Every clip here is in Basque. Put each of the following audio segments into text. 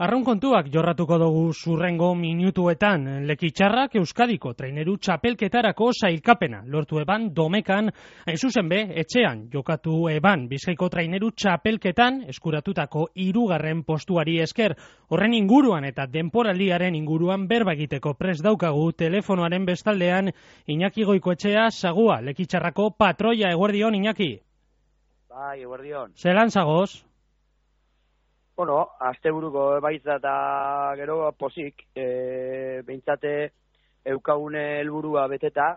Arraun kontuak jorratuko dugu zurrengo minutuetan. Lekitxarrak Euskadiko traineru txapelketarako sailkapena lortu eban Domekan, hain zuzen be, etxean jokatu eban Bizkaiko traineru txapelketan eskuratutako 3. postuari esker. Horren inguruan eta denporaldiaren inguruan berba egiteko prest daukagu telefonoaren bestaldean Iñaki Goikoetxea Sagua, Lekitxarrako patroia. Eguerdion, Iñaki. Bai, eguerdion. Zelan zagoz? Bueno, asteburuko baitza eta gero posik, behintzate eukagune helburua beteta,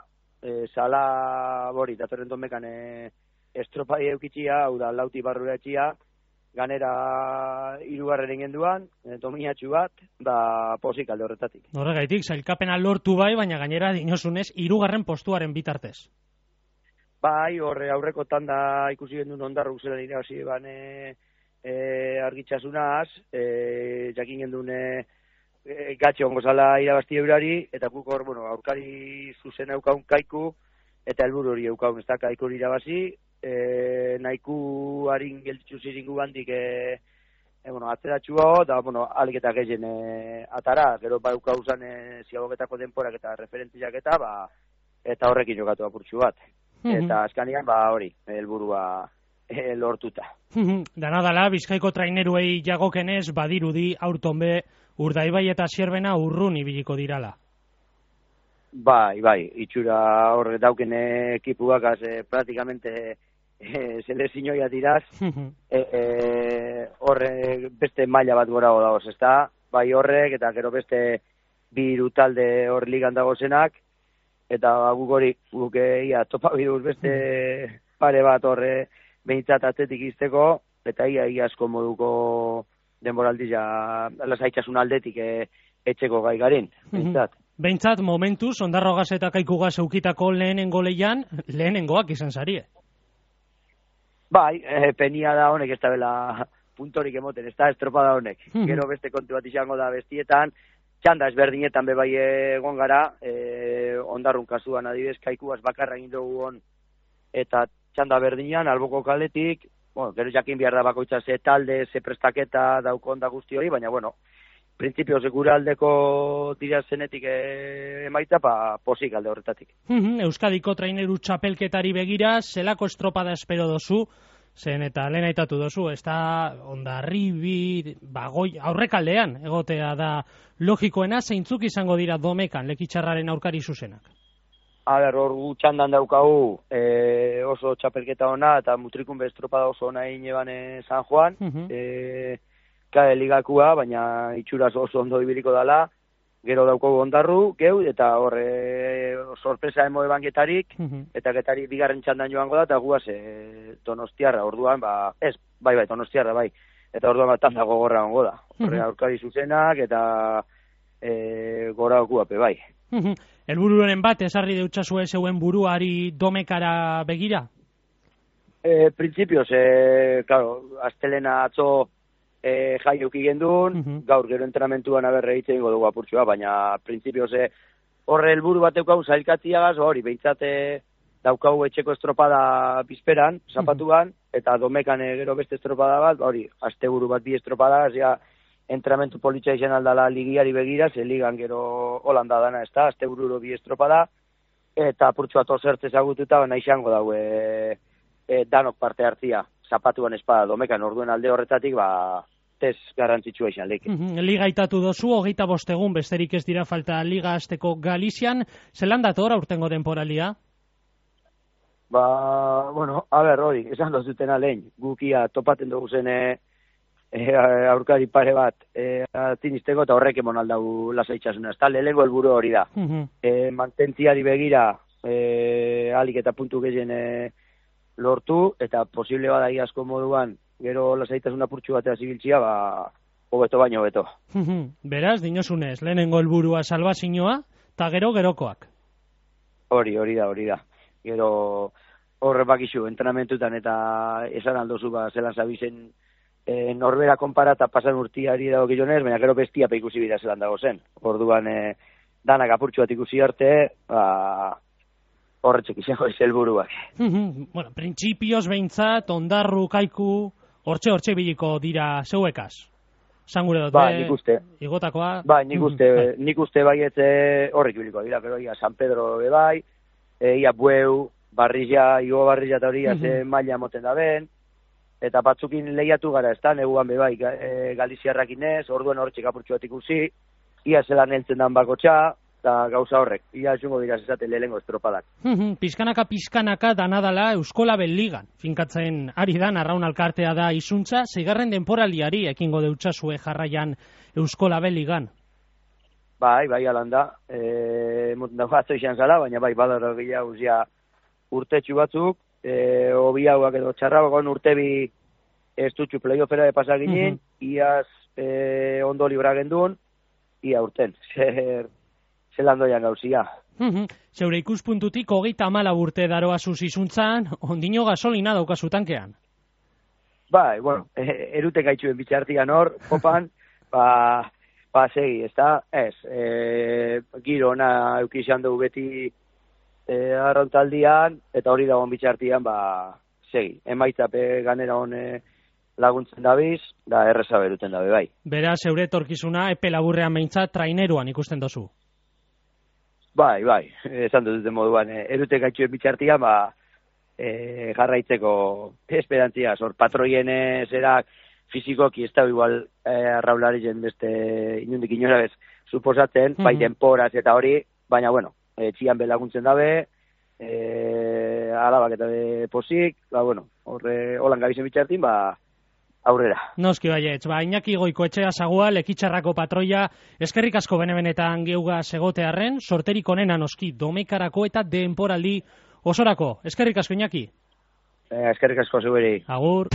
sala bori, datorren Domekan estropai eukitxia, hau da, lauti barrura etxia, ganera 3. ingenduan, dominatxu bat, da posik alde horretatik. Horregaitik, sailkapena lortu bai, baina gainera dinosunez 3. postuaren bitartez. Bai, horre aurreko tanda ikusi gendun ondarru zela irabazi argitxasunaz, jakin gendun gatxe ongo zala irabazti eurari, eta guk hor, bueno, aurkari zuzen eukaun kaiku, eta helburu hori eukaun, ez da, kaiku hori irabazi, nahiku harin geltitzu ziringu bandik, bueno, atzeratxua, eta, bueno, aliketa gehien atara, gero ba eukau zan ziagoketako denporak eta referentziak eta horrekin jokatu apurtxu bat. Eta azkanian, hori, helburua lortuta. Danadala, Bizkaiko traineruei jagokenez, badirudi aurtonbe Urdaibai eta Zierbena urrun ibiliko dirala. Bai, itxura horre dauken ekipuak, praktikamente selezioia diraz, horre beste maila bat gora dagoz, ez da? Bai horrek, eta gero beste 2 talde hor ligan dagozenak, eta guk ia topa biduz beste pare bat horre behintzat atzetik izteko, eta ia asko moduko denboraldi lasaitxasun aldetik etxeko gai garin, behintzat. Behintzat, momentuz, Ondarrogaz eta Kaikugaz eukitako lehenengo leian, lehenengoak izan zarie. Bai, penia da honek ez da bela puntorik emoten, ez da estropada honek. Gero beste kontu bat izango da bestietan, txanda ezberdinetan bebai egon gara, Ondarrun kasuan adibidez Kaikugaz bakarra egin dugu hon, eta txanda berdinean, alboko kaletik, bueno, gero jakin behar da bakoitza ze talde, ze prestaketa daukon da guzti hori, baina, bueno, printzipioz gure aldeko dira zenetik emaitza, posik alde horretatik. Euskadiko traineru txapelketari begira, zelako estropada espero dozu, zen eta lehen aitatu dozu, ez da Hondarribi, Bagoi, aurrekaldean egotea da logikoena, zeintzuk izango dira Domekan, Lekitxarraren aurkari zuzenak? Hor txandan daukagu oso txapelketa ona eta mutrikun estropada oso ona egin eban San Juan, kade ligakua, baina itxuraz oso ondo ibiliko dala, gero daukagu Ondarru, geu, eta horre sorpresa emo eban Getarik, eta Getarik 2. txandan joango da, eta guaz Donostiarra, orduan, bai, Donostiarra, bai, eta orduan tanda gogorra ongo da, horre aurkari zuzenak, eta gora okuape, bai. Helbururen bat, esarri deutxasue zeuen buruari Domekara begira? Printzipioz, claro, astelena atzo jaiuki gendun, gaur gero entrenamentuan egiten dugu apurtxoa, baina printzipioz horre helburu bat eukau zailkatziagaz, hori, behintzate daukau etxeko estropada bizperan, zapatuan, eta Domekan gero beste estropada bat, hori, asteburu bat 2 estropada, entrenamentu politxa izan aldala ligiari begira, ze ligan gero Holanda dana, ez da, astebururo 2 estropada, eta apurtxoa tozertz ezagututa, baina izango daue danok parte hartzia, zapatuan espada Domekan, orduen alde horretatik, tez garrantzitsua izan leke. Liga itatu dozu, 25 egun, besterik ez dira falta liga azteko Galizian, zelan dator aurtengo denporalia? Bueno, hori, esan dozutena lehen, gukia topaten dugu zen aurkari pare bat atinisteko eta horrek emon aldau lasaitxasuna. Ez da, lehenengo helburu hori da. Mantentziari begira alik eta puntu gehien lortu, eta posible bada asko moduan gero lasaitasuna purtsu batea zibiltzia, hobeto baino hobeto. Beraz, dinosunez, lehenengo helburua salbazioa, eta gerokoak. Hori da. Gero horre bakizu, entrenamentutan eta esan aldozu zelan zabizen norbera konpara eta pasan urtiari dago gilonez, baina gero bestia ikusi bida zelan dago zen. Orduan danak apurtxu bat ikusi arte, horretxek izango ez helburuak. Bueno, printzipioz behintzat, Ondarru, Kaiku, hortxe biliko dira zeuekaz? Zangure dut, Ba, nik uste. Igotakoa. Ba, nik uste baiet horrek biliko dira, pero ia San Pedro bai, ia Bueu, Barrilla, Igo Barrilla eta hori, ze maila moten da ben, eta batzukin lehiatu gara, ez da, neguan bai, Galiziarrakin ez, orduen hor txekapurtxu bat ikusi, ia zelan heltzen dan bakotxa, eta gauza horrek, ia jungo dira zezate lehengo estropadak. Pizkanaka danadala Euskolabel Ligan, finkatzen ari dan, arraun alkartea da izuntza, zeigarren denporaldiari ekingo deutxasue jarraian Euskolabel Ligan. Bai, alan da, dagoazto izan zala, baina bai, badaro gehiago ja urtetxu batzuk, hobi hauak edo txarragoan urtebi ez dutxu playoffera de pasaginen, iaz ondo libra gendun, ia urten, zelan doian gauzia. Zeure ikuspuntutik 34 urte daroa zuzizuntzan, ondino gasolina daukazu tankean. Bai, bueno, erute gaitxuen bitxartian hor, popan, segi, ez da, giro ona eukizan dugu beti arrontaldian, eta hori dagoen bitxartian, segi, emaitzape ganera hon laguntzen dabiz, da erreza beruten dabe, bai. Beraz, zeure etorkizuna epe laburrean behintzat traineruan ikusten dozu. Bai, esan dut moduan, erute gaitxuen bitxartian, jarraitzeko esperantzia, patroien zerak fizikoki ez da igual arraularitzen beste inundik inora bez suposatzen, bai denporaz eta hori, baina bueno, txian belaguntzen dabe, alabak eta posik, bueno, holan gabizen bitxartin, aurrera. Noski baietz, Iñaki Goikoetxea Sagua, Lekitxarrako patroia, eskerrik asko benetan geuga segotearren, sorterik onena noski domekarako eta denporaldi osorako. Eskerrik asko, Iñaki. Eskerrik asko, zuberi. Agur.